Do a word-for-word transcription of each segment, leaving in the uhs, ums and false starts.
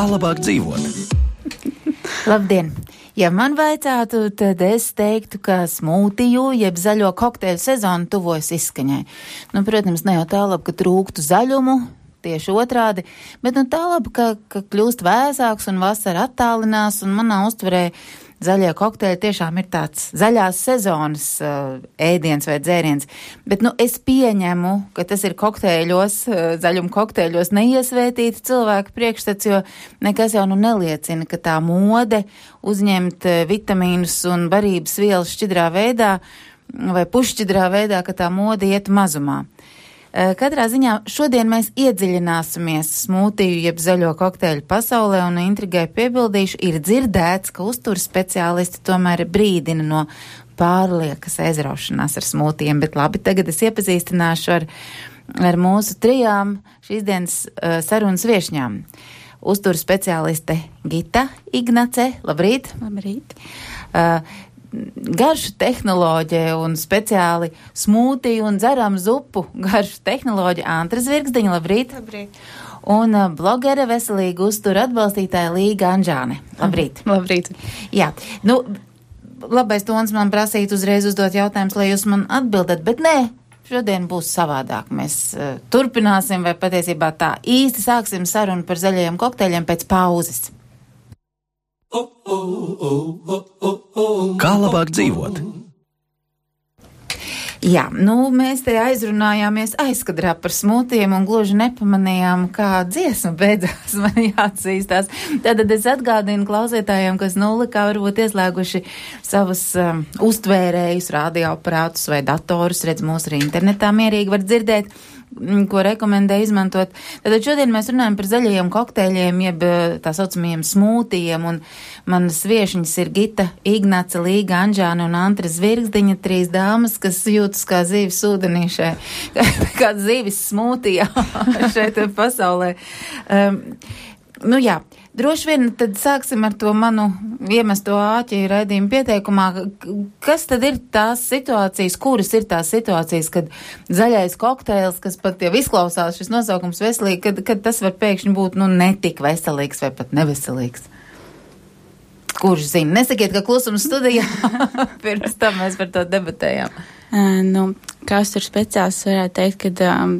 Kā labāk dzīvot? Labdien! Ja man vaicātu, tad es teiktu, ka smūtiju, jeb zaļo kokteļu sezonu tuvojas izskaņai. Nu, protams, ne jau tā labi, ka trūktu zaļumu, tieši otrādi, bet nu tā labi, ka, ka kļūst vēsāks un vasara attālinās, un manā uztverē zaļie kokteļi tiešām ir tāds zaļās sezonas uh, ēdiens vai dzēriens. Bet, nu, es pieņemu, ka tas ir kokteļos, uh, zaļuma kokteļos neiesvētīti cilvēku priekšstats, jo nekas jau nu neliecina, ka tā mode uzņemt uh, vitamīnus un barības vielas šķidrā veidā vai pušķidrā veidā, ka tā mode iet mazumā. Katrā ziņā šodien mēs iedziļināsimies smūtiju jeb zaļo kokteļu pasaulē un intrigai piebildīšu, ir dzirdēts, ka uzturas speciālisti tomēr brīdina no pārliekas aizraušanās ar smūtijiem, bet labi, tagad es iepazīstināšu ar, ar mūsu trijām šīs dienas uh, sarunas viešņām. Uzturas speciāliste Gita Ignace, labrīt! Labrīt! Uh, garšu tehnoloģija un speciāli smūtiju un dzeram zupu garšu tehnoloģija Antra Zvirgzdiņa, labrīt. Labrīt. Un uh, blogere veselīga uztura atbalstītāja Līga Anžāne. Labrīt. Labrīt. Jā, nu, labais tons man prasīt uzreiz uzdot jautājumus, lai jūs man atbildat, bet nē, šodien būs savādāk. Mēs uh, turpināsim vai patiesībā tā īsti sāksim sarunu par zaļajiem kokteļiem pēc pauzes. Kā labāk dzīvot? Jā, nu, mēs te aizrunājāmies aizkadrā par smūtiem un gluži nepamanījām, kā dziesma beidzās, man jāatzīstās. Tātad es atgādinu klausītājiem, kas nulikā varbūt ieslēguši savus um, uztvērējus, radioaparātus vai datorus, redz mūs arī internetā mierīgi var dzirdēt, ko rekomendē izmantot. Tātad šodien mēs runājam par zaļajiem kokteļiem, jeb tā saucamajiem smūtijiem, un manas viešņas ir Gita Ignace, Līga Anžāne un Antra Zvirgzdiņa, trīs dāmas, kas jūtas kā zīves ūdenī šai, kā zīves smūtijā šeit pasaulē. Um, nu jā. Droši vien tad sāksim ar to manu iemesto āķi raidījumu pieteikumā. Kas tad ir tās situācijas, kuras ir tās situācijas, kad zaļais kokteils, kas pat jau izklausās šis nosaukums veselīgi, kad, kad tas var pēkšņi būt, nu, netik veselīgs vai pat neveselīgs? Kurš zina? Nesakiet, ka klusums studijā. Pirms tam mēs par to debatējām. Uh, nu, kas tur speciāls varētu teikt, ka um,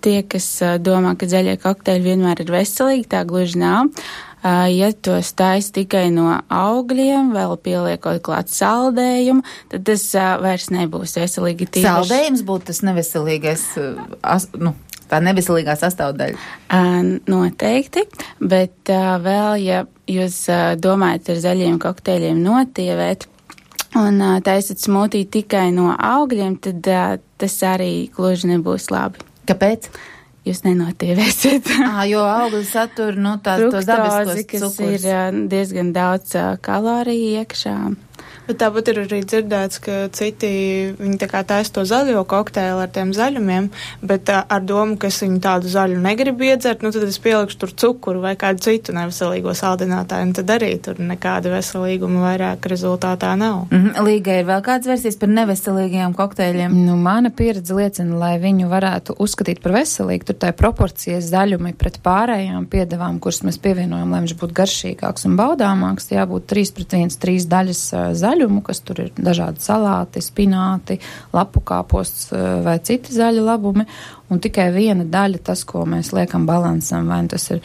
tie, kas uh, domā, ka zaļie kokteļi vienmēr ir veselīgi, tā gluži nav. Uh, ja tos taisa tikai no augļiem, vēl pieliekot klāt saldējumu, tad tas uh, vairs nebūs veselīgi. Tīpaši... Saldējums būtu tas neveselīgais, uh, as, nu, tā neveselīgā sastāvdaļa. Uh, noteikti, bet uh, vēl, ja jūs uh, domājat ar zaļiem kokteļiem notievēt un uh, taisat smūtiju tikai no augļiem, tad uh, tas arī gluži nebūs labi. Kāpēc? Jūs nenotievēsiet. Ā, jo augļi satur, nu, tās tos dabiskos cukurus. Kas ir diezgan daudz uh, kaloriju iekšā. Bet tāpat ir arī dzirdēts, ka citi, viņi tā kā taisa to zaļo kokteili ar tiem zaļumiem, bet uh, ar domu, ka es viņu tādu zaļu negribu iedzert, nu tad es pielikšu tur cukuru vai kādu citu neveselīgo saldinātāju, un tad arī tur nekāda veselīguma vairāk rezultātā nav. Mm-hmm. Līga, ir vēl kāds versijas par neveselīgiem kokteļiem? Nu, mana pieredze liecina, lai viņu varētu uzskatīt par veselīgu, tur tā proporcijas zaļumi pret pārējām piedevām, kuras mēs pievienojam, lai viņš būtu garšīgāks un baudāmāks, jābūt trīs pret viens, trīs daļas zaļu. Kas tur ir dažādi salāti, spināti, lapu kāposts vai citi zaļi labumi, un tikai viena daļa tas, ko mēs liekam balansam, vai tas ir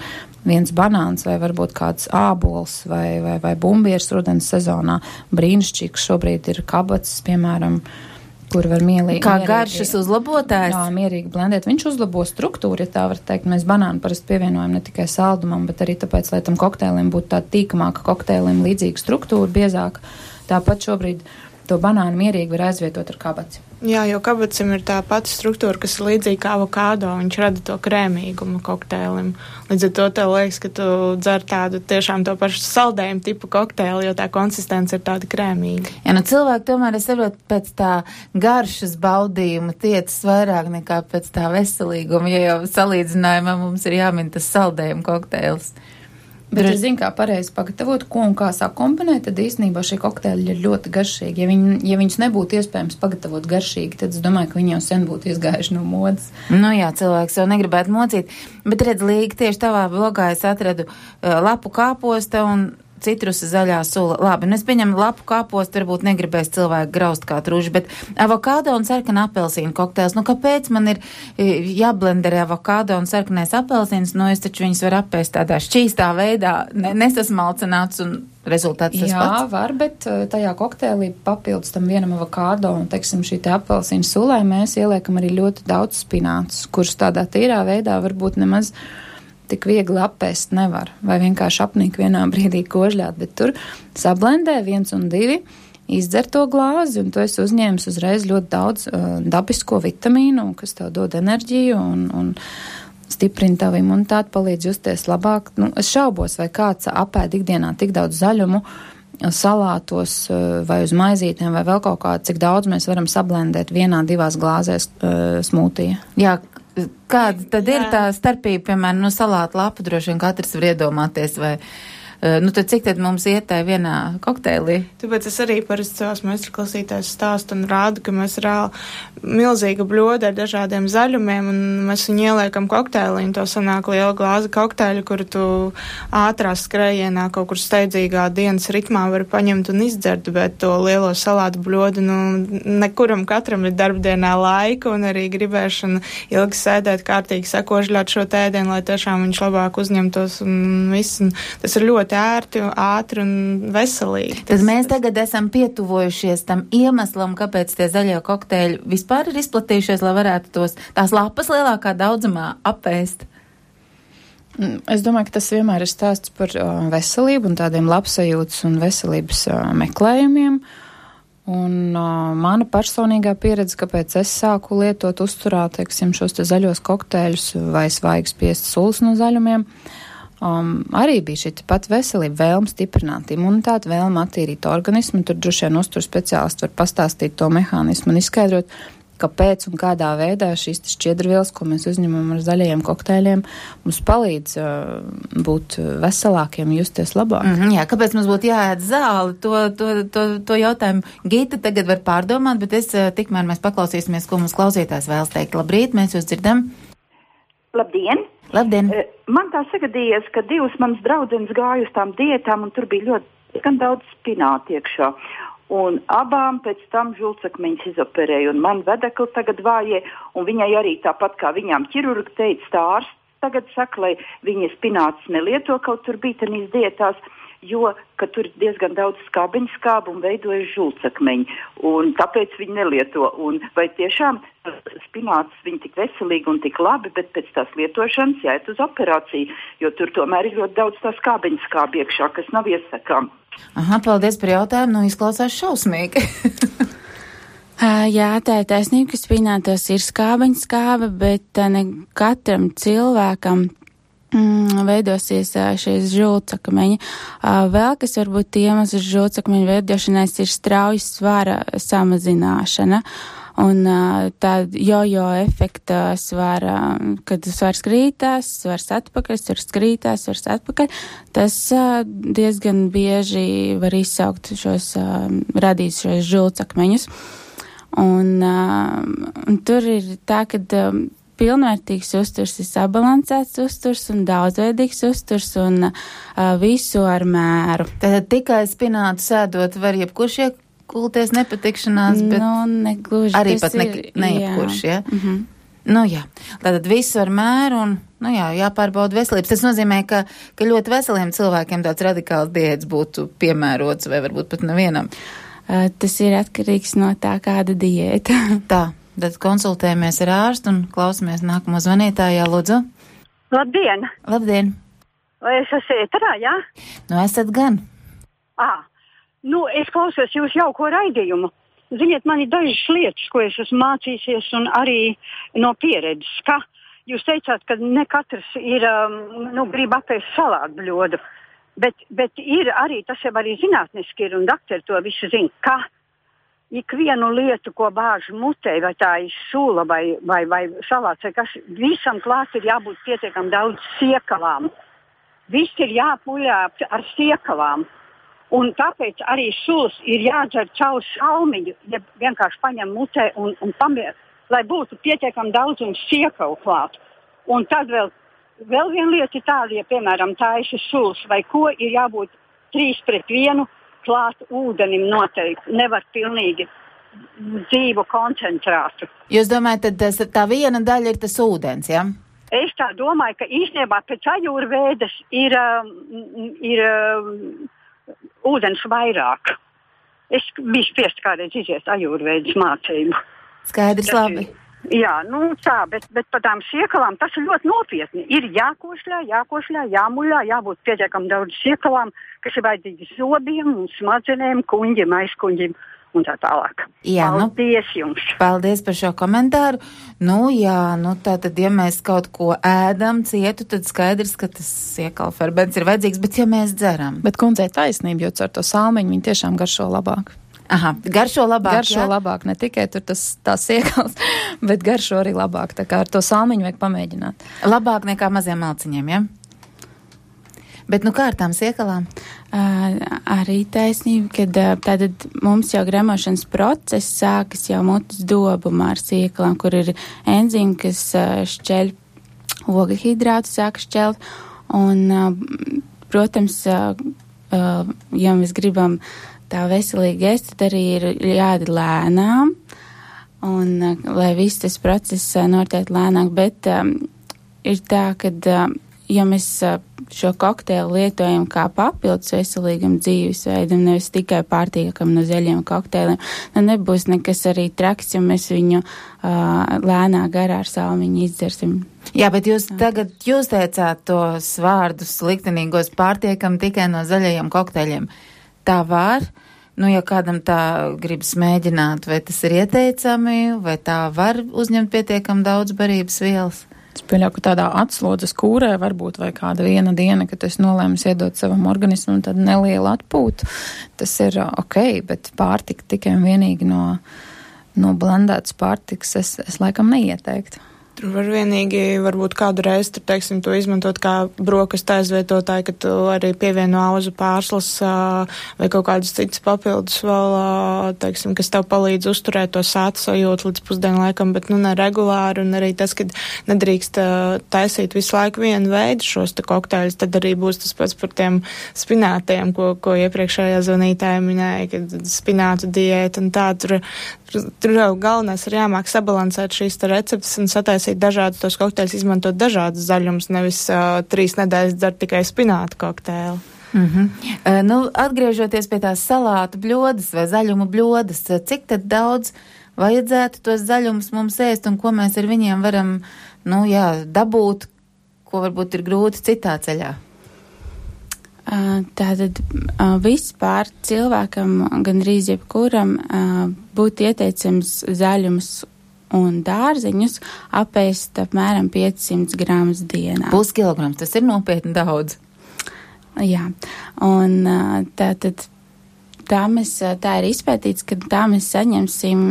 viens banāns, vai varbūt kāds ābols, vai, vai, vai bumbieris rudens sezonā. Brīnišķīgs šobrīd ir kabats, piemēram, kur var mielīgi... Kā mierīgi, garšas uzlabotājs? Jā, mierīgi blendēt. Viņš uzlabo struktūru, ja tā var teikt. Mēs banānu parasti pievienojam ne tikai saldumam, bet arī tāpēc, lai tam kokteilim būtu tāda tīkamāka kokteilim līdzīga struktūra, biezāka. Tāpat šobrīd to banānu mierīgi var aizvietot ar kabats. Jā, jo kabacim ir tā pati struktūra, kas ir līdzīga kā avokādo, viņš rada to krēmīgumu kokteilim. Līdz ar to tev liekas, ka tu dzer tādu tiešām to pašu saldējumu tipu kokteili, jo tā konsistence ir tāda krēmīga. Jā, nu cilvēki tomēr, es saprotu, pēc tā garšas baudījuma tiecas vairāk nekā pēc tā veselīguma, ja jau salīdzinājumā mums ir jāmin tas saldējuma kokteils. Bet es zinu, kā pareizi pagatavot, ko un kā sakomponēt, tad īstenībā šie kokteļi ir ļoti garšīgi. Ja, viņi, ja viņus nebūtu iespējams pagatavot garšīgi, tad es domāju, ka viņi jau sen būtu izgājuši no modas. Nu jā, cilvēks jau negribētu mocīt. Bet redz, Līga, tieši tavā blogā es atradu uh, lapu kāposta un citrusa zaļā sula. Labi, un es pieņemu lapu kāpostu, varbūt negribēs cilvēku graust kā truši, bet avokādo un sarkana apelsīnu kokteils. Nu, kāpēc man ir jāblenderē avokādo un sarkanais apelsīns? Nu, es taču viņus varu apēst tādā šķīstā veidā, ne, nesasmalcināts un rezultāts tas Jā, pats. Jā, var, bet tajā kokteilī papildus tam vienam avokādo un, teiksim, šī te apelsīnu sulai mēs ieliekam arī ļoti daudz spinātus, kurus tādā tīrā veidā varbūt nemaz tik viegli apēst nevar, vai vienkārši apnīk vienā brīdī kožļāt, bet tur sablendē viens un divi, izdzer to glāzi, un tu esi uzņēmis uzreiz ļoti daudz uh, dabisko vitamīnu, kas tev dod enerģiju un, un stiprina tavu imunitāti, palīdz justies labāk. Nu, es šaubos, vai kāds apēd ikdienā tik daudz zaļumu salātos uh, vai uz maizītēm vai vēl kaut kā, cik daudz mēs varam sablendēt vienā, divās glāzēs uh, smūtija. Jā, kāda tad Jā. ir tā starpība, piemēram, no salāta lapa, droši vien katrs var iedomāties, vai, nu tad cik tad mums iet tai vienā kokteilī? Tāpēc es arī parasti savās meistarklasītājs stāstu un rādu, ka mēs reāli milzīga bļoda ar dažādiem zaļumiem, un mēs viņu ieliekam kokteilī, un to sanāk liela glāze kokteļa, kuru tu ātrā skrējienā kaut kur steidzīgā dienas ritmā vari paņemt un izdzert, bet to lielo salātu bļodu, nu, nekuram katram ir darbdienā laika un arī gribēšana ilgi sēdēt kārtīgi sakožļāt šo tēdienu, lai tiešām viņš labāk uzņemtos un viss, un tas ir ļoti ērti, ātri un veselīgi. Tad mēs tagad esam pietuvojušies tam iemeslam, kāpēc tie zaļie kokteļi vispār ir izplatījušies, lai varētu tos, tās lapas lielākā daudzumā apēst. Es domāju, ka tas vienmēr ir stāsts par uh, veselību un tādiem labsajūtas un veselības uh, meklējumiem. Un uh, mana personīgā pieredze, kāpēc es sāku lietot uzturā, teiksim, šos te zaļos kokteļus vai svaigas spiestas sulas no zaļumiem, Um, arī bija šī pat veselība, vēlme stiprināt imunitāti, vēlme attīrīt organismu. Tur droši vien uztur speciālisti var pastāstīt to mehānismu un izskaidrot, kāpēc un kādā veidā šīs šķiedrvielas, ko mēs uzņemam ar zaļajiem kokteļiem, mums palīdz uh, būt veselākiem, justies labāk. Mm-hmm, jā, kāpēc mums būtu jāēd zāli? To, to, to, to jautājumu Gita tagad var pārdomāt, bet es uh, tikmēr mēs paklausīsimies, ko mums klausītājs vēlas teikt. Labrīt, mēs jūs dzirdam. Labdien! Labdien! Man tā sagadījies, ka divas manas draudzenes gāja uz tām diētām, un tur bija ļoti gan daudz spināti iekšā. Un abām pēc tam žultsakmeņus izoperēja, un man vedekli tagad vājie, un viņai arī tāpat kā viņām ķirurgi teica, tā ārsts tagad saka, lai viņa spinātus nelieto, kaut tur bija tanīs diētās, jo, ka tur ir diezgan daudz skābeņu skābu un veidojas žultsakmeņi, un tāpēc viņi nelieto. Un vai tiešām spinātus viņi tik veselīgi un tik labi, bet pēc tās lietošanas jāiet uz operāciju, jo tur tomēr ir ļoti daudz tā skābeņu skābi iekšā, kas nav iesakām. Aha, paldies par jautājumu, nu izklausās šausmīgi. Jā, tā ir taisnība, ka spinātos ir skābeņu skābe, bet ne katram cilvēkam Mm, veidosies šīs žultsakmeņi. Vēl, kas varbūt iemesls žultsakmeņu veidošanais, ir strauja svara samazināšana. Un tā jojo efekta svara, kad svars krītās, svars atpakaļ, svars krītās, svars atpakaļ, tas diezgan bieži var izsaukt šos, radīt šos žultsakmeņus. Un, un tur ir tā, kad pilnvērtīgs uzturs ir sabalansēts uzturs un daudzveidīgs uzturs un uh, visu ar mēru. Tad tikai spinātu sēdot var jebkurš iekulties nepatikšanās, bet nu, negluži, arī pat ne, ir, ne jebkurš, jā. Ja? Mm-hmm. Nu jā, tātad visu ar mēru un, nu jā, jāpārbauda veselības. Tas nozīmē, ka, ka ļoti veseliem cilvēkiem tāds radikāls diēts būtu piemērots vai varbūt pat nevienam. Uh, tas ir atkarīgs no tā, kāda diēta. Tā. Tad konsultējamies ar ārstu un klausamies nākamo zvanītājā, lūdzu. Labdien! Labdien! Vai es esmu ēterā, jā? Nu, esat gan. Ā, nu, es klausos jūs jauko raidījumu. Ziniet, man ir dažas lietas, ko es esmu mācīsies un arī no pieredzes, ka jūs teicāt, ka ne katrs ir, um, nu, grib apēst salātu bļodu, bet, bet ir arī, tas jau arī zinātniski ir un dakteri to visu zina, ka ikvienu lietu, ko bāž mutē, vai tā ir sula vai, vai, vai salāts, vai kas, visam klāt ir jābūt pietiekam daudz siekalām. viss ir jāpuļā ar siekalām. Un tāpēc arī sulas ir jādzer caur salmiņu, ja vienkārši paņem mutē un, un pamier, lai būtu pietiekami daudzums siekalu klāt. Un tad vēl, vēl viena lieta ir tāda, ja, piemēram, taisa sulas vai ko, ir jābūt trīs pret vienu klāt ūdenim noteikti. Nevar pilnīgi dzīvu koncentrātu. Jūs domājat, tad tas, tā viena daļa ir tas ūdens, ja? Es tā domāju, ka īstenībā pēc ajurvēdas ir, ir ūdens vairāk. Es biju spiest kādreiz iziet ajurvēdas mācību. Skaidrs, Tas labi. ir- Jā, nu tā, bet, bet par tām siekalām tas ir ļoti nopietni. Ir jākošļā, jākošļā, jāmuļā, jābūt pietiekam daudz siekalām, kas ir vajadzīgi zobiem un smadzenēm, kuņģim, aizkuņģim un tā tālāk. Jā, nu- Paldies jums! Paldies par šo komentāru. Nu jā, nu tā tad, ja mēs kaut ko ēdam cietu, tad skaidrs, ka tas siekalferbents ir vajadzīgs, bet ja mēs dzeram. Bet kundzei taisnība, jo ar to salmiņu viņi tiešām garšo labāk. Aha, garšo labāk, Garšo jā? labāk, ne tikai tur tas tās siekals, bet garšo arī labāk. Tā kā ar to salmiņu vajag pamēģināt. Labāk nekā maziem malciņiem, ja? Bet nu kā ar tām siekalām? Uh, arī taisnība, kad uh, tātad mums jau gremošanas process sākas jau mutes dobumā ar siekalām, kur ir enzīmi, kas uh, šķeļ ogļhidrātu, sāk šķelt. Un, uh, protams, uh, uh, ja mēs gribam tā veselīgi ēst, tad arī ir jāēd lēnām, un uh, lai viss tas process uh, notiek lēnāk, bet um, ir tā, ka, uh, ja mēs uh, šo kokteili lietojam kā papildus veselīgam dzīvesveidam, nevis tikai pārtīkam no zaļiem kokteiliem, tad nebūs nekas arī traks, ja mēs viņu uh, lēnā garā ar salmiņu izdzersim. Jā, bet jūs tagad, jūs teicāt tos vārdus liktenīgos pārtiekam tikai no zaļajiem kokteļiem. Tā var? Nu, ja kādam tā gribas mēģināt, vai tas ir ieteicami, vai tā var uzņemt pietiekam daudz barības vielas? Es pieļauju, ka tādā atslodzes kūrē varbūt vai kāda viena diena, kad es nolēmu iedot savam organismam tādu nelielu atpūtu. Tas ir ok, bet pārtika tikai un vienīgi no, no blendētas pārtikas es, es laikam neieteiktu. Tur var vienīgi varbūt kādu reizi, tur, teiksim, to izmantot kā brokastu aizvietotāju, ka tu arī pievieno auzu pārslas vai kaut kādus citus papildus vēl, teiksim, kas tev palīdz uzturēt to sāta sajūtu līdz pusdienu laikam, bet nu neregulāri, un arī tas, ka nedrīkst taisīt visu laiku vienu veidu šos te kokteļus, tad arī būs tas pats par tiem spinātiem, ko, ko iepriekšējā zvanītāja minēja, kad spinātu diēta un tā, tur, tur jau galvenais ir jāmāk sabalansēt šīs te receptes un sataisīt dažādus tos kokteļus, izmantot dažādus zaļumus, nevis uh, trīs nedēļas dzert tikai spinātu kokteili. Mm-hmm. Uh, nu, atgriežoties pie tās salātu bļodas vai zaļumu bļodas, cik tad daudz vajadzētu tos zaļumus mums ēst un ko mēs ar viņiem varam, nu jā, dabūt, ko varbūt ir grūti citā ceļā? Uh, tātad uh, vispār cilvēkam, gandrīz jebkuram, uh, būtu ieteicams zaļumus un dārzeņus apēst apmēram piecsimt gramus dienā. Puskilograms, tas ir nopietni daudz. Jā, un tātad tā, mēs, tā ir izpētīts, ka tā mēs saņemsim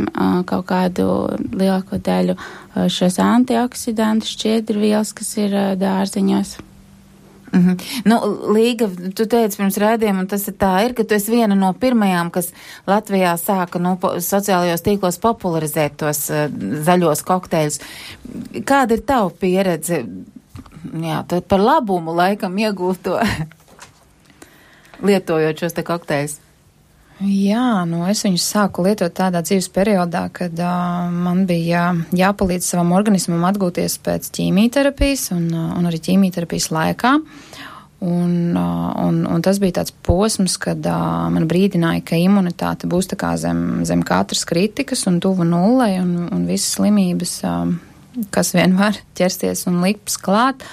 kaut kādu lielāko daļu šos antioksidantu šķiedrvielas, kas ir dārzeņos. Mm-hmm. Nu, Līga, tu teici pirms raidījuma, un tas ir tā ir, ka tu esi viena no pirmajām, kas Latvijā sāka nu, po, sociālajos tīklos popularizēt tos uh, zaļos kokteļus. Kāda ir tava pieredze? Jā, tad par labumu laikam iegūto lietojot šos te kokteļus. Jā, nu es viņus sāku lietot tādā dzīves periodā, kad uh, man bija jāpalīdz savam organismam atgūties pēc ķīmijterapijas un, uh, un arī ķīmijterapijas laikā. Un, uh, un, un tas bija tāds posms, kad uh, man brīdināja, ka imunitāte būs tā kā zem, zem katras kritikas un tuvu nullei un, un visas slimības, uh, kas vien var ķersties un lips klāt.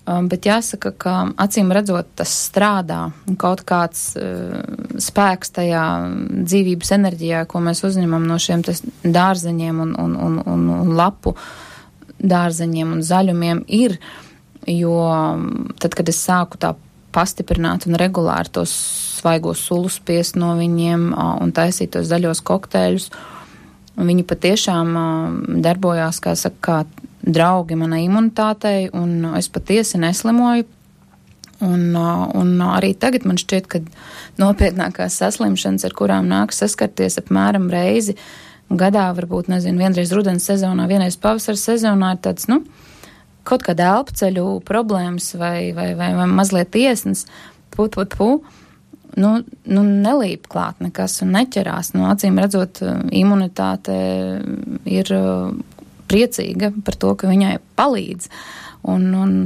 Um, bet jāsaka, ka acīm redzot tas strādā, kaut kāds uh, spēks tajā dzīvības enerģijā, ko mēs uzņemam no šiem dārzeņiem un, un, un, un, un lapu dārzeņiem un zaļumiem ir, jo tad, kad es sāku tā pastiprināt un regulāri tos svaigos sulus spiest no viņiem uh, un taisīt tos zaļos kokteļus, un viņi patiešām uh, darbojās, kā saka, kā draugi manai imunitātei, un es patiesi neslimoju. Un, un arī tagad man šķiet, ka nopietnākās saslimšanas, ar kurām nāk saskarties apmēram reizi gadā, varbūt, nezinu, vienreiz rudens sezonā, vienreiz pavasara sezonā, ir tāds, nu, kaut kāda elpceļu problēmas vai, vai, vai, vai mazliet iesnas, pu, pu, pu, nu, nu nelīp klāt nekas un neķerās. Nu, acīm redzot, imunitāte ir priecīga par to, ka viņai palīdz. Un, un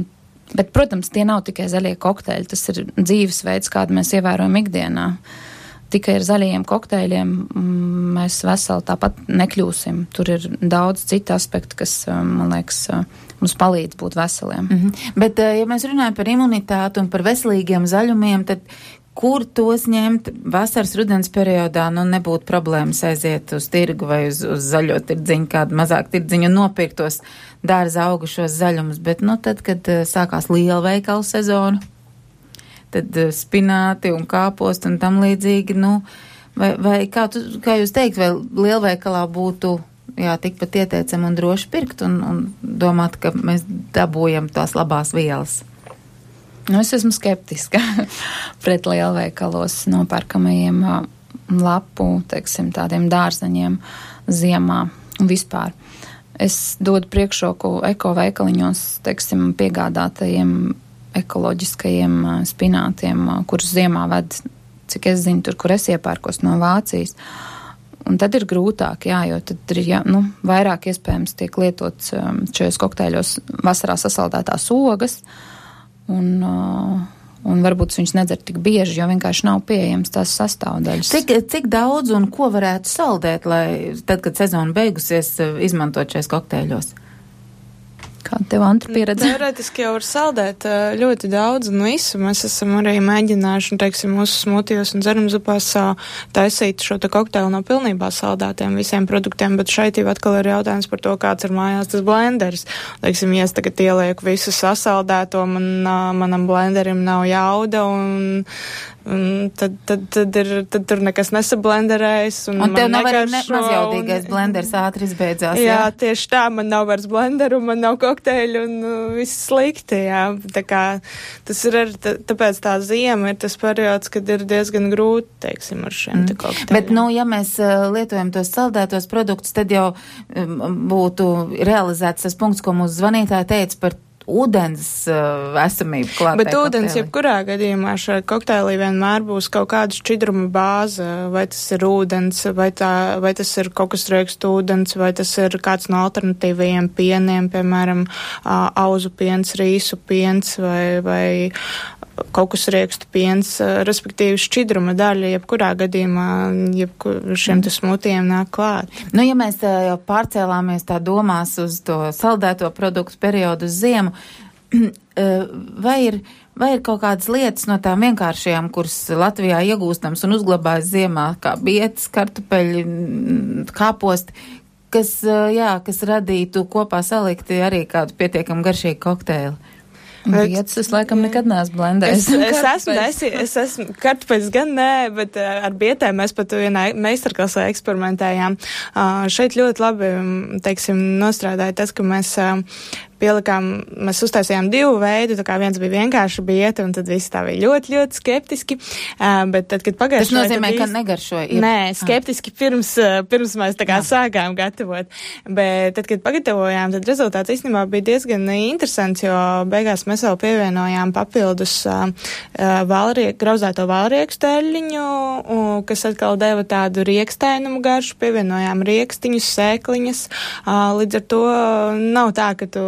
Bet, protams, tie nav tikai zaļie kokteļi, tas ir dzīvesveids, kādu mēs ievērojam ikdienā. Tikai ar zaļajiem kokteļiem mēs veseli tāpat nekļūsim. Tur ir daudz citu aspektu, kas, man liekas, mums palīdz būt veseliem. Mm-hmm. Bet, ja mēs runājam par imunitāti un par veselīgiem zaļumiem, tad kur tos ņemt vasaras rudens periodā, nu nebūtu problēmas aiziet uz tirgu vai uz, uz zaļo tirdziņu, kādu mazāk tirdziņu un nopirkt tos dārza augušos zaļumus, bet, nu, tad, kad uh, sākās lielveikalu sezona, tad uh, spināti un kāposti un tam līdzīgi, nu, vai, vai kā, tu, kā jūs teikt, vai lielveikalā būtu, jā, tikpat ieteicam un droši pirkt un, un domāt, ka mēs dabūjam tās labās vielas? Nu, es esmu skeptiska pret lielveikalos nopērkamajiem lapu, teiksim, tādiem dārzeņiem ziemā un vispār. Es dodu priekšroku ekoveikaliņos, teiksim, piegādātajiem ekoloģiskajiem spinātiem, kurus ziemā ved, cik es zinu, tur, kur es iepērkos no Vācijas. Un tad ir grūtāk, jā, jo tad ir, jā, nu, vairāk iespējams tiek lietots šajos kokteļos vasarā sasaldētās ogas, Un, un varbūt viņš nedzer tik bieži, jo vienkārši nav pieejams tās sastāvdaļas. Cik, cik daudz un ko varētu saldēt, lai tad, kad sezona beigusies, izmantot šais kokteļos? Kāda tev, Antra, pieredze? Teorētiski jau var saldēt ļoti daudz un visu. Mēs esam arī mēģinājuši, teiksim, mūsu smūtijos un dzerumzupās taisīt šo te kokteili no pilnībā saldētiem visiem produktiem, bet šeit jau atkal ir jautājums par to, kāds ir mājās tas blenders. Teiksim, ja es tagad ielieku visu sasaldēto, man, manam blenderim nav jauda un Un tad, tad, tad, ir, tad tur nekas nesablenderējas. Un, un tev nav arī ne, mazjaudīgais un, blenders ātri izbeidzās. Jā, jā, tieši tā, man nav vairs blenderu, man nav kokteļu un uh, viss slikti, jā. Tā kā tas ir, ar, tā, tāpēc tā ziema ir tas periods, kad ir diezgan grūti, teiksim, ar šiem mm. te kokteļiem. Bet, nu, ja mēs uh, lietojam tos saldētos produktus, tad jau um, būtu realizēts tas punkts, ko mūsu zvanītāji teica par ūdens uh, esamību klātai. Bet ūdens, jebkurā gadījumā šai kokteilī vienmēr būs kaut kāda šķidruma bāze, vai tas ir ūdens, vai, tā, vai tas ir kokosriekstu ūdens, vai tas ir kāds no alternatīvajiem pieniem, piemēram, uh, auzu piens, rīsu piens, vai, vai kokosriekstu piens, respektīvi šķidruma daļa, jebkurā gadījumā, jebkur šiem te smūtijiem nāk klāt. Nu, ja mēs jau pārcēlāmies tā domās uz to saldēto produktu periodu uz ziemu, vai ir, vai ir kaut kādas lietas no tām vienkāršajām, kuras Latvijā iegūstams un uzglabājas ziemā, kā bietas, kartupeļi, kāposti, kas, jā, kas radītu kopā salikti arī kādu pietiekam garšīgu kokteili? Vietas es laikam nekad neesmu blendējis. Es, es esmu, es, es esmu, kartupeļus gan nē, bet ar bietēm mēs pat vienā meistarklasē eksperimentējām. Uh, šeit ļoti labi, teiksim, nostrādāja tas, ka mēs uh, pielikām, mēs uztaisījām divu veidu, tā kā viens bija vienkārši bieta, un tad visi tā bija ļoti, ļoti skeptiski, uh, bet tad, kad pagaršoja... Tas nozīmē, ka negaršoja? Ir... Nē, skeptiski pirms, uh, pirms mēs tā kā Jā. sākām gatavot, bet tad, kad pagatavojām, tad rezultāts īstenībā bija diezgan interesants, jo beigās mēs vēl pievienojām papildus uh, valriek, grauzēto valriekstu eļļiņu, uh, kas atkal deva tādu riekstainumu garšu, pievienojām riekstiņus, sēkliņas, uh, līdz ar to nav tā, ka tu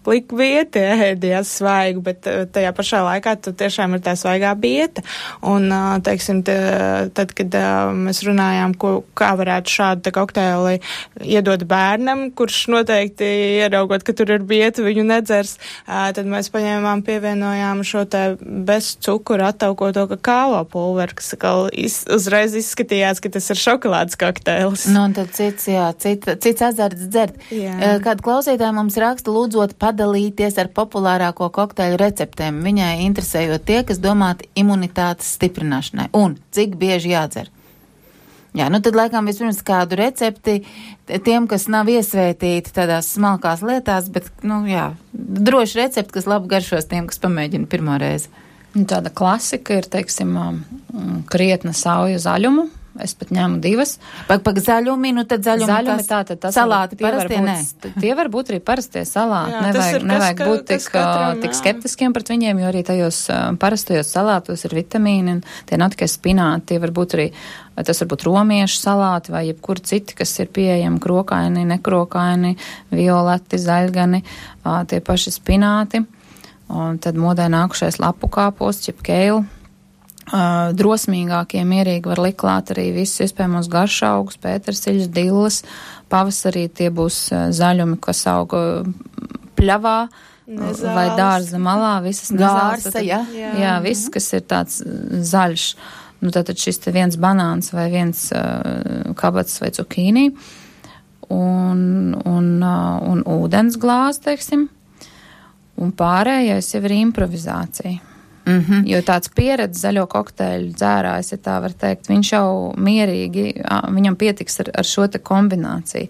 lik bieti ēdījās svaigu, bet tajā pašā laikā tu tiešām ir tā svaigā bieta. Un, teiksim, te, tad, kad mēs runājām, ko, kā varētu šādu te kokteili iedot bērnam, kurš noteikti ieraugot, ka tur ir bieta, viņu nedzers, tad mēs paņēmām, pievienojām šo te bez cukura attaukoto kakāo pulveri, kas iz, uzreiz izskatījās, ka tas ir šokolādes kokteils. Nu, un tad cits, jā, cit, cits azarts dzert. Jā. Kāda klausītāja mums raksta, lūdzot padalīties ar populārāko kokteļu receptēm, viņai interesējot tie, kas domāti imunitātes stiprināšanai, un cik bieži jādzer. Jā, nu tad laikam vispirms kādu recepti tiem, kas nav iesvētīti tādās smalkās lietās, bet, nu jā, droši recepti, kas labi garšos tiem, kas pamēģina pirmo reizi. Tāda klasika ir, teiksim, krietna sauju zaļumu. Es pat ņēmu divas. Pak, pak zaļumi, nu tad zaļumi, zaļumi tas, tā, tad tas salāti var, parastie, būt, nē. Tie var būt arī parastie salāti. Jā, nevajag kas, nevajag ka, būt tik, katram, tik skeptiskiem pret viņiem, jo arī tajos uh, parastajos salātos ir vitamīni, un tie nav tikai spināti, tie var būt arī, tas var būt romiešu salāti vai jebkur citi, kas ir pieejami krokaini, nekrokaini, violeti, zaļgani, uh, tie paši spināti, un tad modē nākušais lapu kāposts, jeb keilu. Uh, drosmīgākie mierīgi var likt klāt arī visus iespējamos garšaugus, pētersiļus, dilles. Pavasarī tie būs uh, zaļumi, kas auga pļavā nezāles. Vai dārza malā, visas nezāles. Gārsa, jā. Jā, jā viss, kas ir tāds zaļš. Nu, tātad šis te viens banāns vai viens uh, kabats vai cukīnī un, un, uh, un ūdens glāze, teiksim. Un pārējais jau ir improvizācija. Mm-hmm. Jo tāds pieredze zaļo kokteļu dzērājs, ja tā var teikt, viņš jau mierīgi, viņam pietiks ar, ar šo te kombināciju.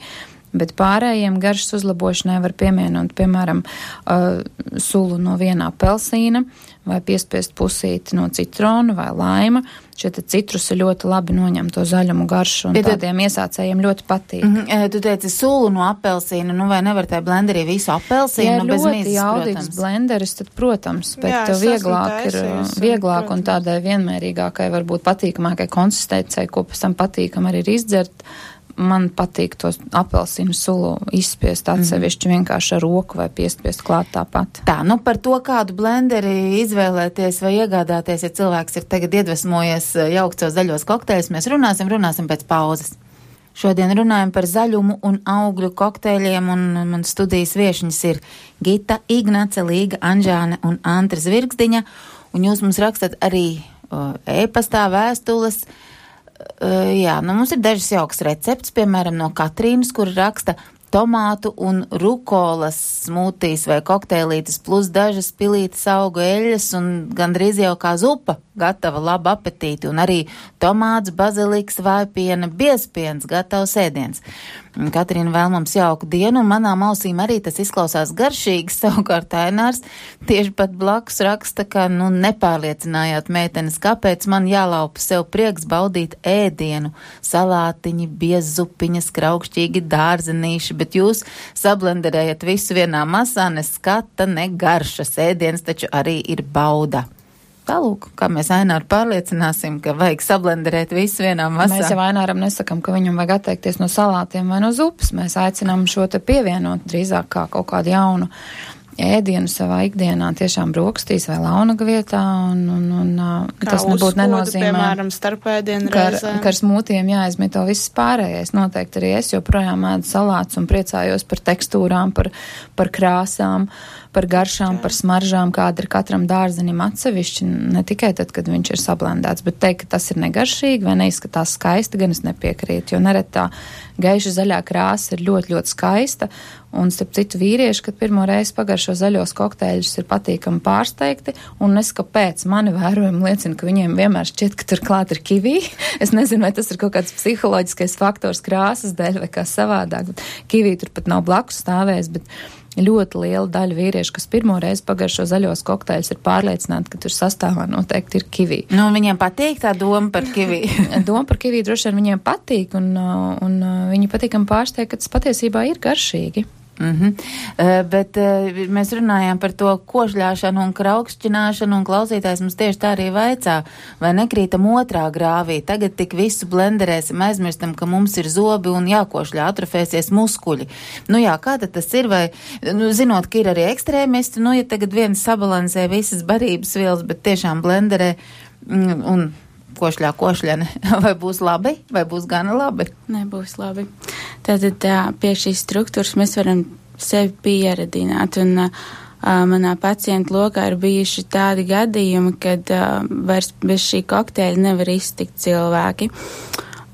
Bet pārējiem garšas uzlabošanai var piemienot, piemēram, uh, sulu no vienā apelsīna vai piespiest pusīti no citrona vai laima. Šie te citrusi ļoti labi noņem to zaļumu garšu un ja tādiem iesācējiem ļoti patīk. Mm-hmm. Tu teici sulu no apelsīna, nu vai nevar tajā blenderī visu apelsīnu ja bez mizas, protams? Ja ļoti jaudīgs blenderis, tad, protams, bet Jā, vieglāk ir, vieglāk un, un tādai vienmērīgākai, varbūt patīkamākai konsistencei, ko pēc tam patīkam arī ir izdzert. Man patīk tos apelsīnu sulu izspiest atsevišķi vienkārši ar roku vai piespiest klāt tāpat. Tā, nu par to, kādu blenderi izvēlēties vai iegādāties, ja cilvēks ir tagad iedvesmojies jaukt savus zaļos kokteļus, mēs runāsim, runāsim pēc pauzes. Šodien runājam par zaļumu un augļu kokteļiem, un man studijas viešņas ir Gita, Ignace, Līga, Anžāne un Antra Zvirgzdiņa, un jūs mums rakstat arī uh, e-pastā vēstules. Uh, jā, nu mums ir dažas jauks recepts, piemēram, no Katrīnas, kur raksta tomātu un rukolas smūtīs vai kokteilītes plus dažas pilītes augu eļas un gandrīz jau kā zupa gatava, laba apetīti, un arī tomāts, baziliks, vājpiena, biezpiens, gatavs ēdiens. Katrīna vēl mums jauku dienu, un manām ausīm arī tas izklausās garšīgi, savukārt Ainārs tieši pat blakus raksta, ka, nu, nepārliecinājāt meitenes, kāpēc man jālaupa sev prieks baudīt ēdienu, salātiņi, biezzupiņas, kraukšķīgi dārzenīši, bet jūs sablenderējat visu vienā masā, ne skata, ne garšas, ēdienas taču arī ir bauda. Tālūk, kā mēs Aināru pārliecināsim, ka vajag sablenderēt visu vienā masā. Mēs jau Aināram nesakam, ka viņam vajag atteikties no salātiem vai no zupas. Mēs aicinām šo te pievienot drīzāk kā kaut kādu jaunu ēdienu savā ikdienā, tiešām brokastīs vai launaga vietā, un, un, un tas nebūtu nenozīmē, piemēram, starpēdienu ka, reizēm. ka ar smūtiem jāizmito viss pārējais. Noteikti arī es joprojām ēdu salātus un priecājos par tekstūrām, par, par krāsām, par garšām, par smaržām, kāda ir katram dārzenim atsevišķi, ne tikai tad, kad viņš ir sablendēts, bet teikt, ka tas ir negaršīgi vai neizskatās skaisti, gan es nepiekrītu, jo nereti tā gaiša zaļā krāsa ir ļoti, ļoti skaista, un starp citu vīrieši, kad pirmo reizi pagaršo zaļos kokteļus, ir patīkami pārsteigti, un es kāpēc mani vērojumi liecina, ka viņiem vienmēr šķiet, ka tur klāt ir kivī. Es nezinu, vai tas ir kaut kāds psiholoģiskais faktors krāsas dēļ vai kā savādāk, bet kivī tur pat nav blakus stāvējis, bet ļoti liela daļa vīriešu, kas pirmo reizi pagaršo zaļos kokteļus, ir pārliecināti, ka tur sastāvā noteikti ir kivī. Nu, viņiem patīk tā doma par kivī. Doma par kivī droši vien viņiem patīk, un, un viņi patīkam pārsteigt, ka tas patiesībā ir garšīgi. Mm-hmm. Uh, bet uh, mēs runājām par to košļāšanu un kraukšķināšanu, un klausītājs mums tieši tā arī vaicā, vai nekrītam otrā grāvī. Tagad tik visu blenderēsim, aizmirstam, ka mums ir zobi un jākošļā, atrofēsies muskuļi. Nu jā, kā tad tas ir, vai, nu, zinot, ka ir arī ekstrēmisti, nu, ja tagad viens sabalansē visas barības vielas, bet tiešām blenderē mm, un košļā košļane, vai būs labi, vai būs gana labi? Nebūs labi. Tātad tā, pie šīs struktūras mēs varam sevi pieredināt, un uh, manā pacientu lokā ir bijuši tādi gadījumi, kad uh, vairs bez šī kokteļa nevar iztikt cilvēki.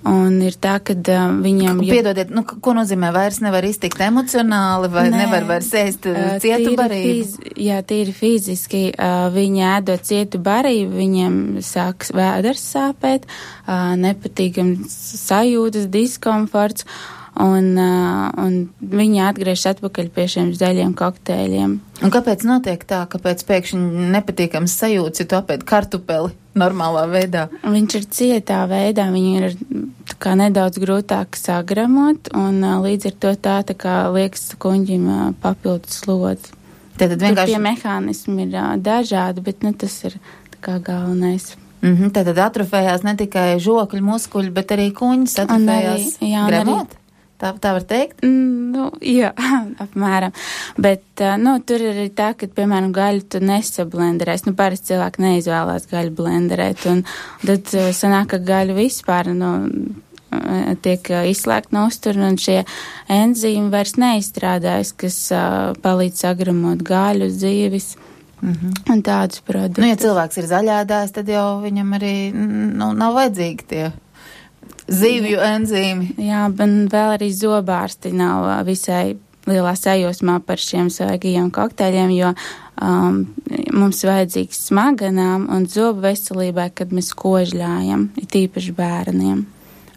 Un ir tā, ka uh, viņam... Jau... Piedodiet, nu, ko nozīmē vairs nevar iztikt emocionāli, vai Nē, nevar vairs ēst uh, cietu barību? Fiz, jā, tīri fiziski. Uh, viņi ēdot cietu barību, viņiem sāks vēders sāpēt, uh, nepatīkams sajūtas, diskomforts, un, uh, un viņi atgriežas atpakaļ pie šiem zaļiem kokteļiem. Un kāpēc notiek tā, kāpēc pēkšņi nepatīkams sajūts, ja tu apēd kartupeli normālā veidā? Viņš ir cietā veidā, viņi ir tā kā nedaudz grūtāk sagramot, un uh, līdz ar to tā, tā kā liekas kuņģim uh, papildus slodzi. Tad vienkārši... Tur tie mehānismi ir uh, dažādi, bet nu, tas ir tā kā galvenais. Mm-hmm, tātad atrofējās ne tikai žokļu muskuļi, bet arī kuņas atrofējās gremot? Tā, tā var teikt? Mm, nu, jā, apmēram. Bet, uh, nu, tur ir arī tā, ka, piemēram, gaļu tu nesablenderēs. Nu, parasti cilvēki neizvēlās gaļu blenderēt, un tad uh, sanāk, ka gaļu vispār, nu, tiek uh, izslēgt no uztura, un šie enzīmi vairs neizstrādājas, kas uh, palīdz sagramot gaļu, zīvis. Mm-hmm. Un tādus produktus. Nu, ja cilvēks ir zaļādājs, tad jau viņam arī nu, nav vajadzīgi tie zīvju enzīmi. Jā, bet vēl arī zobārsti nav visai lielā sajūsmā par šiem svaigajiem kokteļiem, jo um, mums vajadzīgs smaganām un zobu veselībai, kad mēs kožļājam, it īpaši bērniem.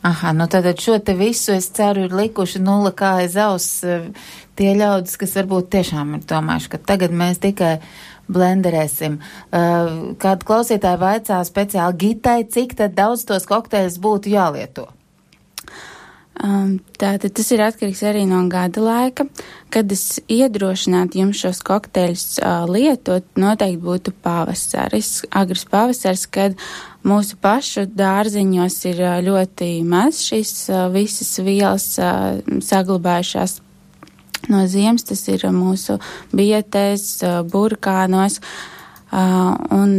Aha, nu tad šo te visu, es ceru, ir likuši nulle kā aiz auss tie ļaudis, kas varbūt tiešām ir domājuši, ka tagad mēs tikai blenderēsim. Uh, kāda klausītāja vaicā speciāli Gitai, cik tad daudz tos kokteļus būtu jālieto? Um, tātad tas ir atkarīgs arī no gada laika. Kad es iedrošinātu jums šos kokteļus uh, lietot, noteikti būtu pavasaris, agrs pavasaris, kad mūsu pašu dārziņos ir uh, ļoti maz šīs uh, visas vielas uh, saglabājušās no ziemas, tas ir mūsu bietēs, burkānos, uh, un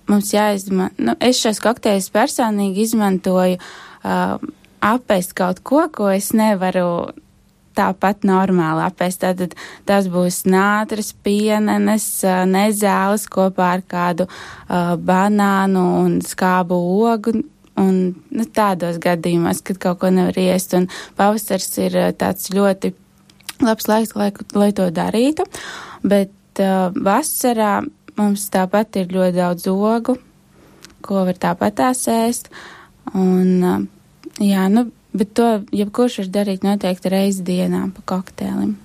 mums jāizmanto, nu, es šos kokteļus personīgi izmantoju uh, apēst kaut ko, ko es nevaru tāpat normāli apēst. Tātad tas būs nātras, pienenes, uh, nezāles kopā ar kādu uh, banānu un skābu ogu, un nu, tādos gadījumos, kad kaut ko nevar iest, un pavasars ir uh, tāds ļoti labs laiks, lai, lai to darītu, bet uh, vasarā mums tāpat ir ļoti daudz ogu, ko var tāpat tās ēst, un uh, jā, nu, bet to jebkurš var darīt noteikti reizi dienā pa koktēlim.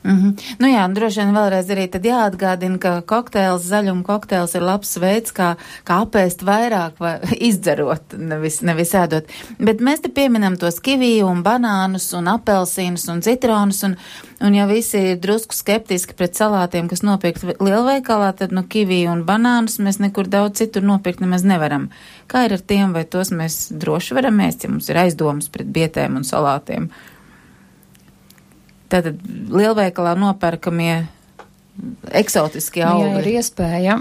Mm-hmm. Nu jā, un droši vien vēlreiz arī tad jāatgādina, ka kokteils, zaļuma kokteils ir labs veids, kā, kā apēst vairāk vai izdzerot, nevis, nevis ēdot. Bet mēs te pieminam tos kiviju un banānus un apelsīnus un citronus, un, un ja visi ir drusku skeptiski pret salātiem, kas nopirkt lielveikalā, tad nu kiviju un banānus mēs nekur daudz citur nopirkt nemaz nevaram. Kā ir ar tiem, vai tos mēs droši varam ēst, ja mums ir aizdomas pret bietēm un salātiem? Tātad lielveikalā nopērkamie eksotiskie augļi. Ja ir iespēja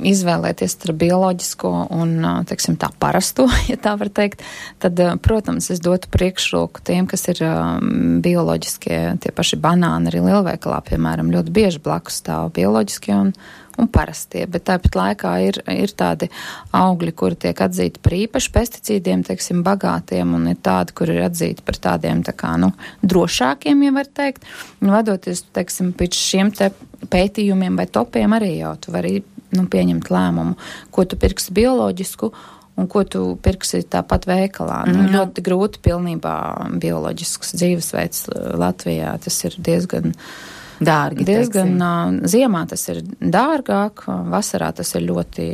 izvēlēties starp bioloģisko un, teiksim, tā parasto, ja tā var teikt, tad, protams, es dotu priekšroku tiem, kas ir um, bioloģiskie, tie paši banāni arī lielveikalā, piemēram, ļoti bieži blakus stāv bioloģiskie un un parastie, bet tāpat laikā ir, ir tādi augļi, kuri tiek atzīti par īpaši pesticīdiem, teiksim, bagātiem, un ir tādi, kuri ir atzīti par tādiem, tā kā, nu, drošākiem, ja var teikt. Un vadoties, teiksim, pēc šiem te pētījumiem vai topiem arī jau tu vari, nu, pieņemt lēmumu, ko tu pirksi bioloģisku un ko tu pirksi tāpat veikalā. Mm. Nu, ļoti grūti pilnībā bioloģisks dzīvesveids Latvijā, tas ir diezgan dārgi. Diezgan uh, ziemā tas ir dārgāk, vasarā tas ir ļoti,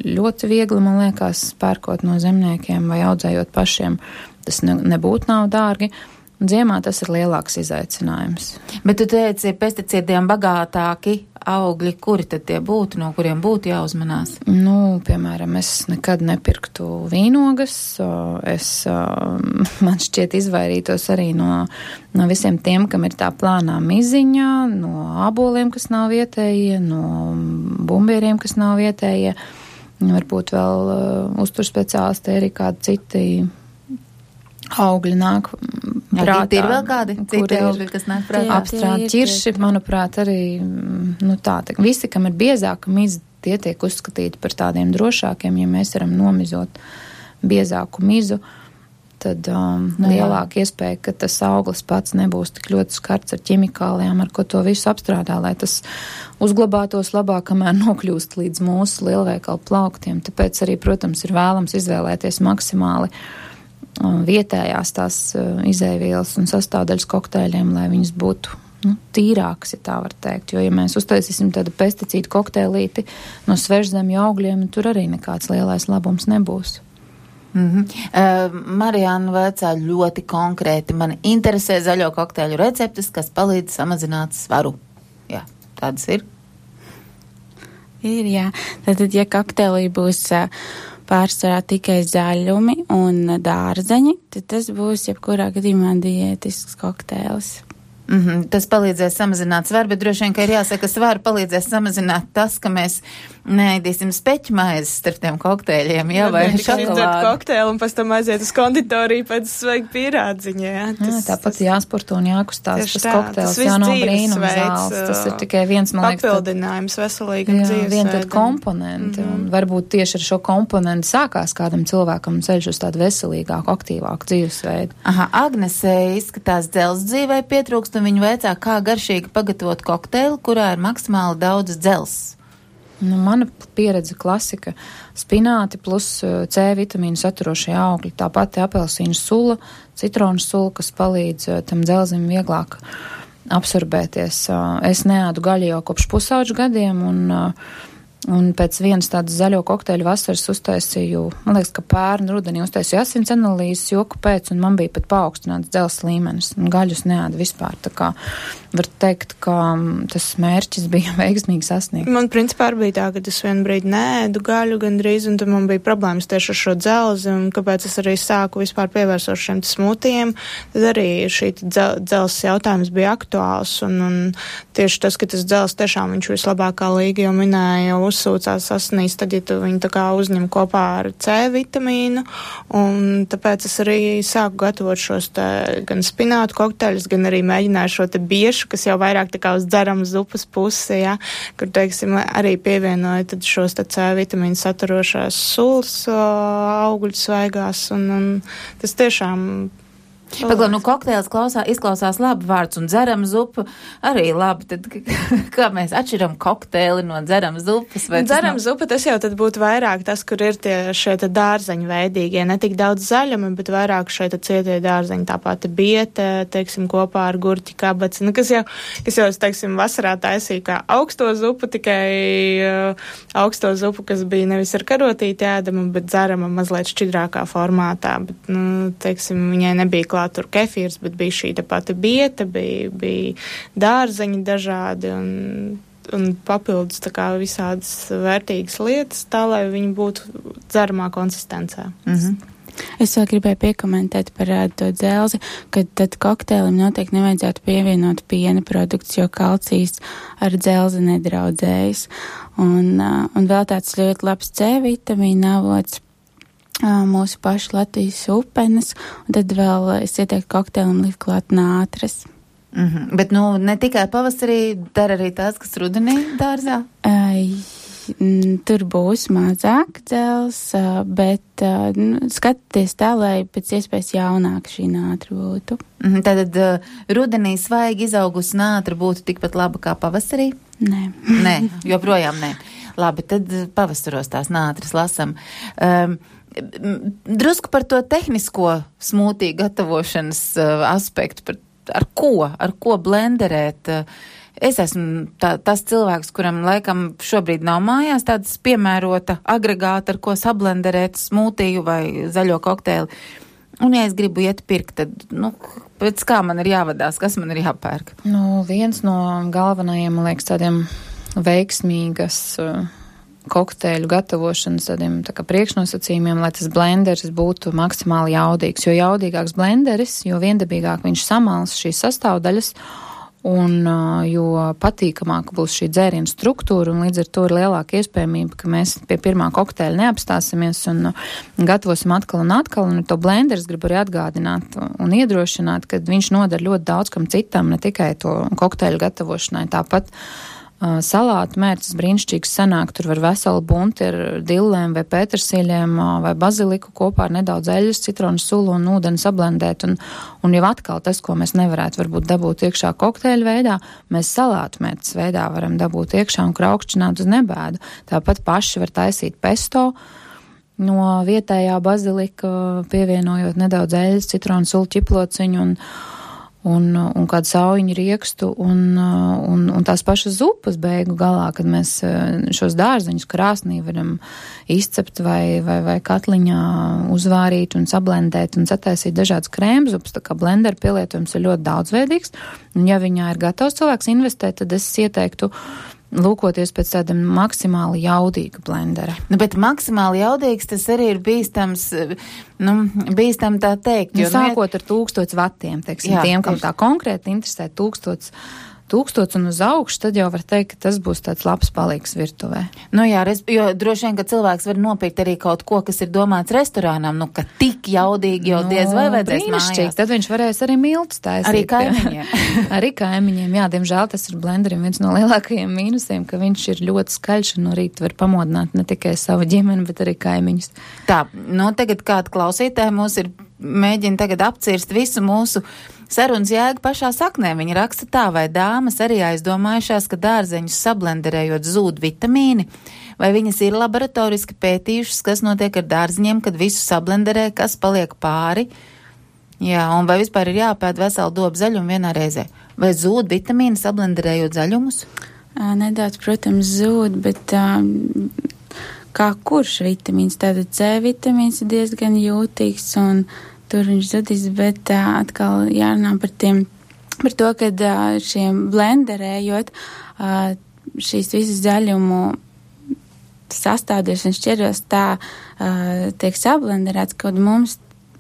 ļoti viegli, man liekas, pērkot no zemniekiem vai audzējot pašiem. Tas ne, nebūtu nav dārgi. Ziemā tas ir lielāks izaicinājums. Bet tu teici, pesticīdiem bagātāki augļi, kuri tad tie būtu, no kuriem būtu jāuzmanās? Nu, piemēram, es nekad nepirktu vīnogas, es, man šķiet, izvairītos arī no, no visiem tiem, kam ir tā plānā miziņa, no āboliem, kas nav vietējie, no bumbieriem, kas nav vietējie, varbūt vēl uh, uzturspeciālisti arī kādi citi augļi nāk prātā. Ir vēl kādi citi augļi, kas nāk prātā? Apstrādi ķirši, manuprāt, arī, nu tā, tā, visi, kam ir biezāka miza, tie tiek uzskatīti par tādiem drošākiem, ja mēs varam nomizot biezāku mizu, tad um, no, lielāka iespēja, ka tas auglis pats nebūs tik ļoti skarts ar ķimikālijām, ar ko to visu apstrādā, lai tas uzglabātos labāk, kamēr nokļūst līdz mūsu lielveikalu plauktiem. Tāpēc arī, protams, ir vēlams izvēlēties maksimāli vietējās tās izēvielas un sastāvdaļas kokteļiem, lai viņas būtu nu, tīrāks, ja tā var teikt. Jo, ja mēs uztaisīsim tādu pesticīdu kokteilīti no svežzemju augļiem, tur arī nekāds lielais labums nebūs. Mm-hmm. Uh, Marijāna vaicā ļoti konkrēti. Man interesē zaļo kokteļu receptes, kas palīdz samazināt svaru. Jā, tādas ir. Ir, jā. Tātad, ja kokteilī būs uh, pārsvarā tikai zaļumi un dārzeņi, tad tas būs jebkurā gadījumā diētisks kokteils. Mm-hmm. Tas palīdzēs samazināt svaru, bet droši vien, ka ir jāsaka, ka svaru palīdzēs samazināt tas, ka mēs neēdīsim speķmaizes starp tiem kokteļiem, jā, vai šokolādi. Kokteili un pēc tam aiziet uz konditoriju pēc svaiga pīrādziņa, jā. Tas, jā tāpat tas, jāsporto un jākustās, tas tā, kokteils, jā, nav brīnums zāles, tas ir tikai viens, man liekas, papildinājums veselīgam dzīvesveidam. Vien tad komponenti, mm-hmm. un varbūt tieši ar šo komponentu sākās kādam cilvēkam ceļš uz tādu veselīgāku, aktīvāku dzīvesveidu. Aha, Agnese izskatās dzels dzīvē pietrūkst, un viņa veicā, kā garšīgi pagatavot kokteili, kurā ir maksimāli daudz dzels. Nu, mana pieredze klasika - spināti plus C vitamīnu saturošie augļi. Tāpat apelsīnu sula, citronu sula, kas palīdz tam dzelzim vieglāk absorbēties. Es neēdu gaļu jau kopš pusauģu gadiem, un, un pēc vienas tādas zaļo kokteļu vasaras uztaisīju, man liekas, ka pērnu rudenī uztaisīju asins analīzes joku pēc, un man bija pat paaugstināts dzels līmenis, un gaļus neēdu vispār. Tā kā var teikt, ka tas mērķis bija veiksmīgi sasniegts. Man principā arī bija tā, ka es vienu brīdi neēdu gaļu gandrīz, un tad man bija problēmas tieši ar šo dzelzi, un kāpēc es arī sāku vispār pievērsos šiem smūtijiem, tad arī šī dzel, dzelzs jautājums bija aktuāls, un, un tieši tas, ka tas dzelzs tiešām viņš vislabākā līga jau minēja, jau uzsūcās asinīs, tad, ja tu viņu tā kā uzņem kopā ar C vitamīnu, un tāpēc es arī sāku gatavot šos te gan spinātu kokteļus, gan arī mēģināju šo te biešu, kas jau vairāk tā kā uz dzeramas zupas pusi, ja, kur, teiksim, arī pievienoja tad šos te C vitamīnu saturošās sulas augļu svaigās, un, un tas tiešām Paglau, nu kokteils klausā, izklausās labi vārds, un dzeram zupu arī labi. Tad kā mēs atšķiram kokteili no dzeram zupas? Dzeram nav... zupa, tas jau tad būtu vairāk tas, kur ir tie šie te dārzeņu veidīgie, ne tik daudz zaļumi, bet vairāk šie te cietie dārzeņi, tāpat biete, teiksim, kopā ar gurķi kabaci, nu, kas jau, kas jau, teiksim, vasarā taisīja kā augsto zupu, tikai uh, augsto zupu, kas bija nevis ar karotīti ēdama, bet dzerama mazliet šķidrākā formātā, bet, nu, teiksim, viņai nebija tur kefīrs, bet bija šī te pati bieta, bija, bija dārzeņi dažādi un, un papildus tā kā visādas vērtīgas lietas, tā, lai viņi būtu dzeramā konsistencē. Mhm. Es vēl gribēju piekomentēt par uh, to dzelzi, ka tad kokteilim noteikti nevajadzētu pievienot piena produkts, jo kalcijs ar dzelzi nedraudzējas. Un, uh, un vēl tāds ļoti labs C vitamīna avots, mūsu pašu Latvijas upenes, un tad vēl es ieteiktu kokteilim likt klāt nātras. Mm-hmm. Bet, nu, ne tikai pavasarī, dara arī tās, kas rudenī dārzā? Ai, tur būs mazāk dzels, bet nu, skatieties tā, lai pēc iespējas jaunāk šī nātra būtu. Mm-hmm. Tātad uh, rudenī svaigi izaugusi nātra būtu tikpat laba kā pavasarī? Nē. Nē, joprojām nē. Labi, tad pavasaros tās nātras lasam. Um, Drusku par to tehnisko smūtī gatavošanas uh, aspektu, par, ar ko, ar ko blenderēt. Es esmu tā, tas cilvēks, kuram laikam šobrīd nav mājās tāds piemērota agregāta, ar ko sablenderēt smūtīju vai zaļo kokteili. Un, ja es gribu iet pirkt, tad, nu, pēc kā man ir jāvadās, kas man ir jāpērk? Nu, viens no galvenajiem, man liekas, tādiem veiksmīgas uh, kokteļu gatavošanas tādiem tā kā priekšnosacījumiem, lai tas blenders būtu maksimāli jaudīgs. Jo jaudīgāks blenderis, jo viendabīgāk viņš samals šīs sastāvdaļas, un uh, jo patīkamāka būs šī dzēriena struktūra, un līdz ar to ir lielāka iespējamība, ka mēs pie pirmā kokteļa neapstāsimies un uh, gatavosim atkal un atkal, un to blenderis grib arī atgādināt un iedrošināt, ka viņš nodara ļoti daudz kam citam, ne tikai to kokteļu gatavošanai. Tāpat Uh, salātu mērķis brīnišķīgs sanāk, tur var veselu bunti ar dillēm vai pētersīļiem uh, vai baziliku kopā ar nedaudz eļas, citronu sulu un ūdeni sablendēt, un, un jau atkal tas, ko mēs nevarētu varbūt dabūt iekšā kokteļu veidā, mēs salātu mērķis veidā varam dabūt iekšā un kraukšķināt uz nebēdu. Tāpat paši var taisīt pesto, no vietējā bazilika, pievienojot nedaudz eļas, citronu sulu ķiplociņu un Un, un kādu saujiņu riekstu un, un, un tās pašas zupas beigu galā, kad mēs šos dārzeņus krāsnī varam izcept vai, vai, vai katliņā uzvārīt un sablendēt un sataisīt dažādas krēmzupas, tā kā blendera pielietojums ir ļoti daudzveidīgs. Un ja viņā ir gatavs cilvēks investēt, tad es ieteiktu lūkoties pēc tāda maksimāli jaudīga blendera. Nu, bet maksimāli jaudīgs tas arī ir bīstams, nu, bīstam tā teikt. Nu, jo, sākot ar tūkstots vatiem, teiksim, jā, tiem, kam tā konkrēti interesē tūkstots, tūkstots un uz augšu, tad jau var teikt, ka tas būs tāds labs palīgs virtuvē. Nu jā, res, jo droši vien, ka cilvēks var nopirkt arī kaut ko, kas ir domāts restorānam, nu, ka tik jaudīgi jau nu, diez vai vajadzēs mājās. Tad viņš varēs arī miltus taisīt. Arī kaimiņiem. Arī kaimiņiem, jā, diemžēl tas ir blenderim viens no lielākajiem mīnusiem, ka viņš ir ļoti skaļš un no rīta var pamodināt ne tikai savu ģimeni, bet arī kaimiņus. Tā, nu tagad kāda klausītāja mūs ir mēģina tagad apcirst visu mūsu sarunas jēgu pašā saknē. Viņa raksta tā, vai dāmas arī aizdomājušās, ka dārzeņus sablenderējot zūd vitamīni, vai viņas ir laboratoriski pētījušas, kas notiek ar dārziņiem, kad visu sablenderē, kas paliek pāri. Jā, un vai vispār ir jāpēd veselu dobu zaļumu vienā reizē? Vai zūd vitamīni sablenderējot zaļumus? Nedaudz, protams, zūd, bet um, kā kurš vitamīns? Tātad C vitamīns ir diezgan jūtīgs un tur viņš zudīs, bet uh, atkal jārunā par tiem, par to, kad uh, šiem blenderējot uh, šīs visas zaļumu sastādījus un šķiros tā uh, tiek sablenderēts, kad mums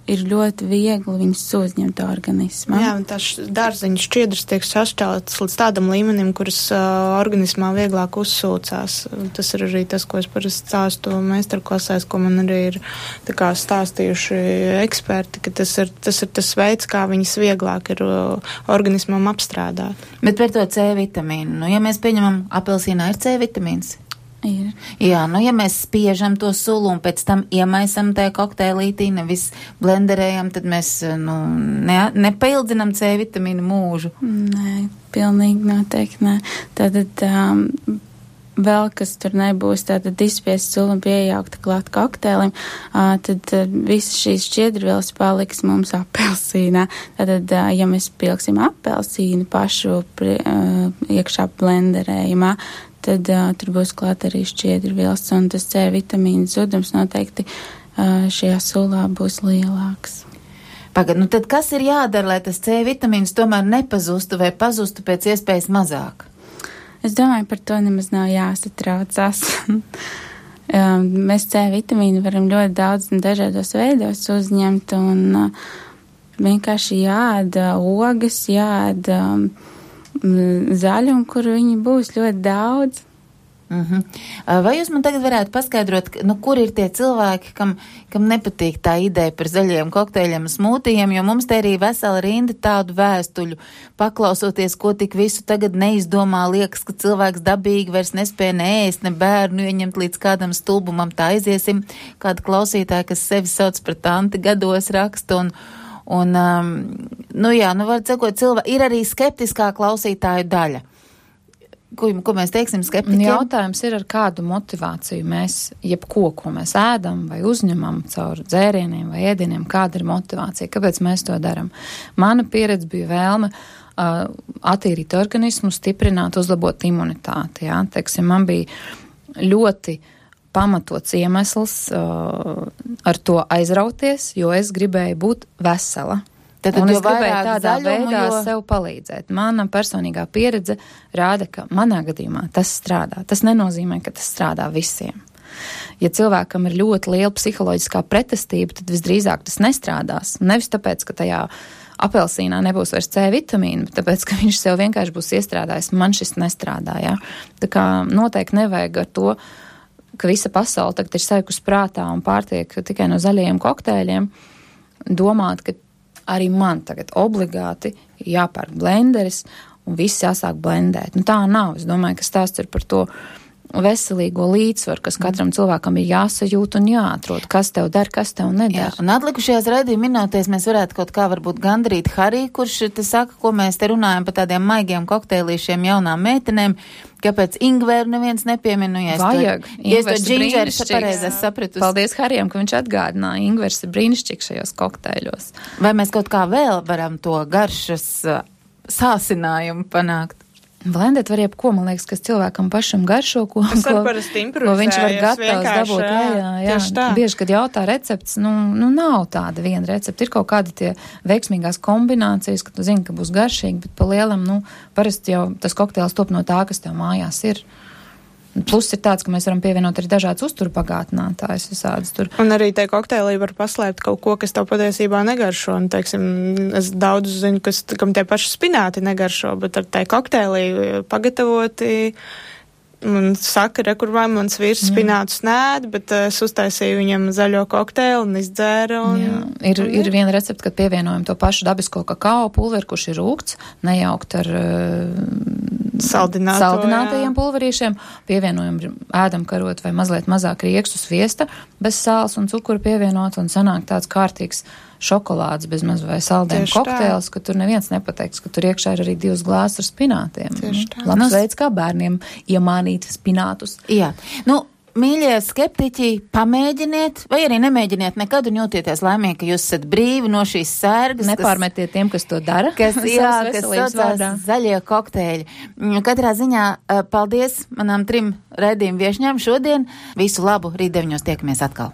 ir ļoti viegli viņus uzņemt organismā. Jā, un tās dārzeņu šķiedras tiek sašķeltas līdz tādam līmenim, kuras uh, organismā vieglāk uzsūcās. Tas ir arī tas, ko es parasti stāstu meistarklasēs, ko man arī ir tā kā stāstījuši eksperti, ka tas ir tas, ir tas veids, kā viņas vieglāk ir uh, organismam apstrādāt. Bet par to C vitamīnu, nu, ja mēs pieņemam, apelsīnā ir C vitamīns. Ir. Jā, nu ja mēs spiežam to sulu un pēc tam iemaisam tajā kokteilītī, nevis blenderējam, tad mēs nu, ne, nepaildzinam C vitamīnu mūžu. Nē, pilnīgi noteikti nē. Tātad um, vēl, kas tur nebūs, tātad izspiest sulu un piejaukta klāt kokteilim, uh, tad uh, visas šīs šķiedrvielas paliks mums apelsīnā. Tātad, uh, ja mēs pilksim apelsīnu pašu pri, uh, iekšā blenderējumā, tad uh, tur būs klāt arī šķiedrvielas, un tas C vitamīna zudums noteikti uh, šajā sulā būs lielāks. Pagad, nu tad kas ir jādara, lai tas C vitamīns tomēr nepazustu vai pazustu pēc iespējas mazāk? Es domāju, par to nemaz nav jāsatraucās. um, mēs C vitamīnu varam ļoti daudz un dažādos veidos uzņemt, un uh, vienkārši jāēda ogas, jāēda um, zaļumu, kur viņi būs ļoti daudz. Uh-huh. Vai jūs man tagad varētu paskaidrot, nu, kur ir tie cilvēki, kam, kam nepatīk tā ideja par zaļiem kokteļiem un smūtijiem, jo mums te arī vesela rinda tādu vēstuļu, paklausoties, ko tik visu tagad neizdomā, liekas, ka cilvēks dabīgi vairs nespēja ne ēst, ne bērnu ieņemt līdz kādam stulbumam, tā aiziesim, kāda klausītāja, kas sevi sauc par tanti gados raksta un Un, um, nu jā, nu var sakot, cilvēki, ir arī skeptiskā klausītāju daļa. Ko, ko mēs teiksim skeptiķiem? Jautājums ir, ar kādu motivāciju mēs, jebko, ko mēs ēdam vai uzņemam caur dzērieniem vai ēdieniem, kāda ir motivācija, kāpēc mēs to daram. Mana pieredze bija vēlme uh, attīrīt organismu, stiprināt, uzlabot imunitāti, jā. Teiksim, man bija ļoti pamatots iemesls uh, ar to aizrauties, jo es gribēju būt vesela. Tad, un es gribēju tādā zaļumu, veidā jo... sev palīdzēt. Mana personīgā pieredze rāda, ka manā gadījumā tas strādā. Tas nenozīmē, ka tas strādā visiem. Ja cilvēkam ir ļoti liela psiholoģiskā pretestība, tad visdrīzāk tas nestrādās. Nevis tāpēc, ka tajā apelsīnā nebūs vairs C vitamīna, bet tāpēc, ka viņš sev vienkārši būs iestrādājis. Man šis nestrādā, jā. Tā kā noteikti nevajag ar to, ka visa pasaule tagad ir saikusi prātā un pārtiek tikai no zaļajiem kokteļiem, domāt, ka arī man tagad obligāti jāpērk blenderis un viss jāsāk blendēt. Nu tā nav. Es domāju, ka stāsts ir par to, veselīgo līdzsvaru, kas katram cilvēkam ir jāsajūt un jāatrod, kas tev der, kas tev neder. Jā, un atlikušajās raidījuma minūtēs mēs varētu kaut kā varbūt gandrīt Harī, kurš te saka, ko mēs te runājam par tādiem maigiem kokteilīšiem jaunām meitenēm, kāpēc ingveru neviens nepieminu, ja Vajag. Ja es to džinžeru pareizi sapratu. Paldies Harijam, ka viņš atgādināja, ingvers ir brīnišķīgs šajos kokteiļos. Vai mēs kaut kā vēl varam to garšas uh, sāsinājumu panākt? Blendēt var jebko, man liekas, kas cilvēkam pašam garšo, ko, Es ko, ko viņš var gatavs dabūt. Jā, jā, jā. Bieži, kad jautā recepts, nu, nu nav tāda viena recepta. Ir kaut kādi tie veiksmīgās kombinācijas, ka tu zini, ka būs garšīgi, bet pa lielam, nu, parasti jau tas kokteils top no tā, kas tev mājās ir. Plus ir tāds, ka mēs varam pievienot arī dažādas uzturu pagātinātājus visādas tur. Un arī te kokteilī var paslēpt kaut ko, kas tev patiesībā negaršo. Un, teiksim, es daudz zinu, kas, kam tie paši spināti negaršo, bet ar te kokteilī pagatavoti un saka, re, kur vai mans vīrs spinātus nēd, bet es uztaisīju viņam zaļo kokteili un izdzēru. Un, jā, ir, un, ir viena recepta, kad pievienojam to pašu dabisko kakao pulveri, kurš ir rūgts, nejaukt ar Saldināto, saldinātajiem pulverīšiem, pievienojam ēdam karot vai mazliet mazāk riekstu sviesta, bez sāls un cukuru pievienot, un sanāk tāds kārtīgs šokolādes bez maz vai saldēm kokteils, ka tur neviens nepateiks, ka tur iekšā ir arī divas glāzes ar spinātiem. Labs veids, kā bērniem iemānīt spinātus. Jā, nu, mīļie skeptiķi, pamēģiniet, vai arī nemēģiniet nekad un jūtieties laimīgi, ka jūs esat brīvi no šīs sērgas. Nepārmetiet tiem, kas to dara. Kas, jā, kas saucās zaļie kokteļi. Katrā ziņā paldies manām trim raidījumu viešņām šodien. Visu labu, rīt deviņos tiekamies atkal.